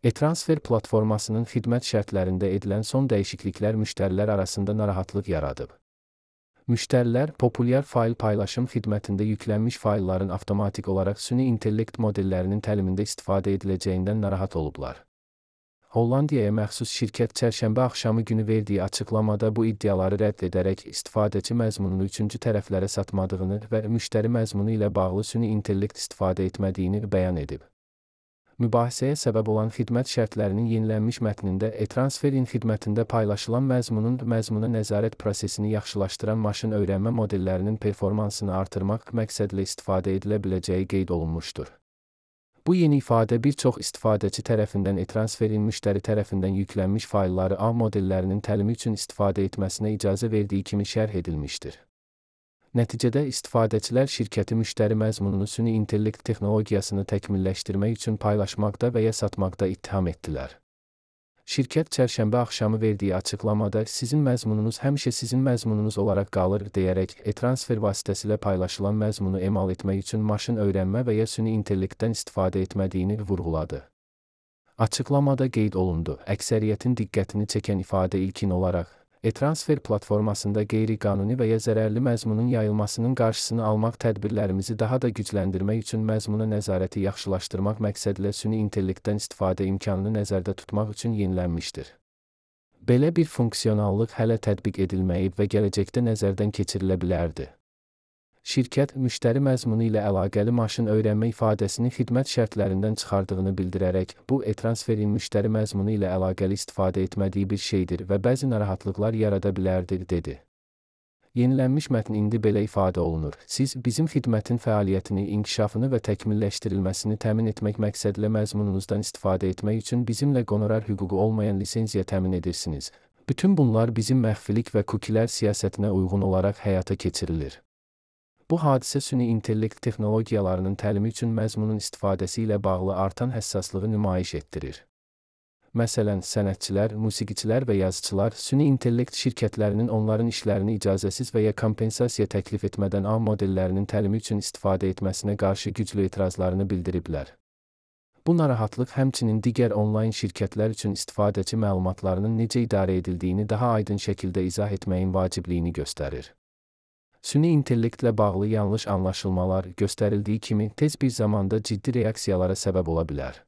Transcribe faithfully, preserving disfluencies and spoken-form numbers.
E-transfer platformasının xidmət şərtlərində edilən son dəyişikliklər müştərilər arasında narahatlıq yaradıb. Müştərilər, populyar fayl paylaşım xidmətində yüklənmiş faylların avtomatik olaraq süni intellekt modellərinin təlimində istifadə ediləcəyindən narahat olublar. Hollandiyaya məxsus şirkət çərşənbə axşamı günü verdiyi açıqlamada bu iddiaları rədd edərək istifadəçi məzmununu üçüncü tərəflərə satmadığını və müştəri məzmunu ilə bağlı süni intellekt istifadə etmədiyini bəyan edib. Mübahisəyə səbəb olan xidmət şərtlərinin yenilənmiş mətnində e-transferin xidmətində paylaşılan məzmunun məzmuna nəzarət prosesini yaxşılaşdıran maşın öyrənmə modellərinin performansını artırmaq məqsədlə istifadə edilə biləcəyi qeyd olunmuşdur. Bu yeni ifadə bir çox istifadəçi tərəfindən e-transferin müştəri tərəfindən yüklənmiş faylları A modellərinin təlimi üçün istifadə etməsinə icazə verdiyi kimi şərh edilmişdir. Nəticədə istifadəçilər şirkəti müştəri məzmununu süni intellekt texnologiyasını təkmilləşdirmək üçün paylaşmaqda və ya satmaqda ittiham etdilər. Şirkət çərşənbə axşamı verdiyi açıqlamada sizin məzmununuz həmişə sizin məzmununuz olaraq qalır deyərək e-transfer vasitəsilə paylaşılan məzmunu emal etmək üçün maşın öyrənmə və ya süni intellektdən istifadə etmədiyini vurğuladı. Açıqlamada qeyd olundu, əksəriyyətin diqqətini çəkən ifadə ilkin olaraq, e-transfer platformasında qeyri-qanuni və ya zərərli məzmunun yayılmasının qarşısını almaq tədbirlərimizi daha da gücləndirmək üçün məzmuna nəzarəti yaxşılaşdırmaq məqsədlə süni intellektdən istifadə imkanını nəzərdə tutmaq üçün yenilənmişdir. Belə bir funksionallıq hələ tətbiq edilməyib və gələcəkdə nəzərdən keçirilə bilərdi. Şirkət, müştəri məzmunu ilə əlaqəli maşın öyrənmə ifadəsini xidmət şərtlərindən çıxardığını bildirərək, bu e-transferin müştəri məzmunu ilə əlaqəli istifadə etmədiyi bir şeydir və bəzi narahatlıqlar yarada bilərdir, dedi. Yenilənmiş mətn indi belə ifadə olunur. Siz, bizim xidmətin fəaliyyətini, inkişafını və təkmilləşdirilməsini təmin etmək məqsədlə məzmununuzdan istifadə etmək üçün bizimlə qonorar hüququ olmayan lisenziya təmin edirsiniz. Bütün bunlar bizim məxfilik və kukilər siyasətinə uyğun olaraq həyata keçirilir. Bu hadisə süni intellekt texnologiyalarının təlimi üçün məzmunun istifadəsi ilə bağlı artan həssaslığı nümayiş etdirir. Məsələn, sənətçilər, musiqiçilər və yazıçılar süni intellekt şirkətlərinin onların işlərini icazəsiz və ya kompensasiya təklif etmədən A modellərinin təlimi üçün istifadə etməsinə qarşı güclü etirazlarını bildiriblər. Bu narahatlıq həmçinin digər onlayn şirkətlər üçün istifadəçi məlumatlarının necə idarə edildiyini daha aydın şəkildə izah etməyin vacibliyini göstərir. Süni intellektlə bağlı yanlış anlaşılmalar göstərildiyi kimi tez bir zamanda ciddi reaksiyalara səbəb ola bilər.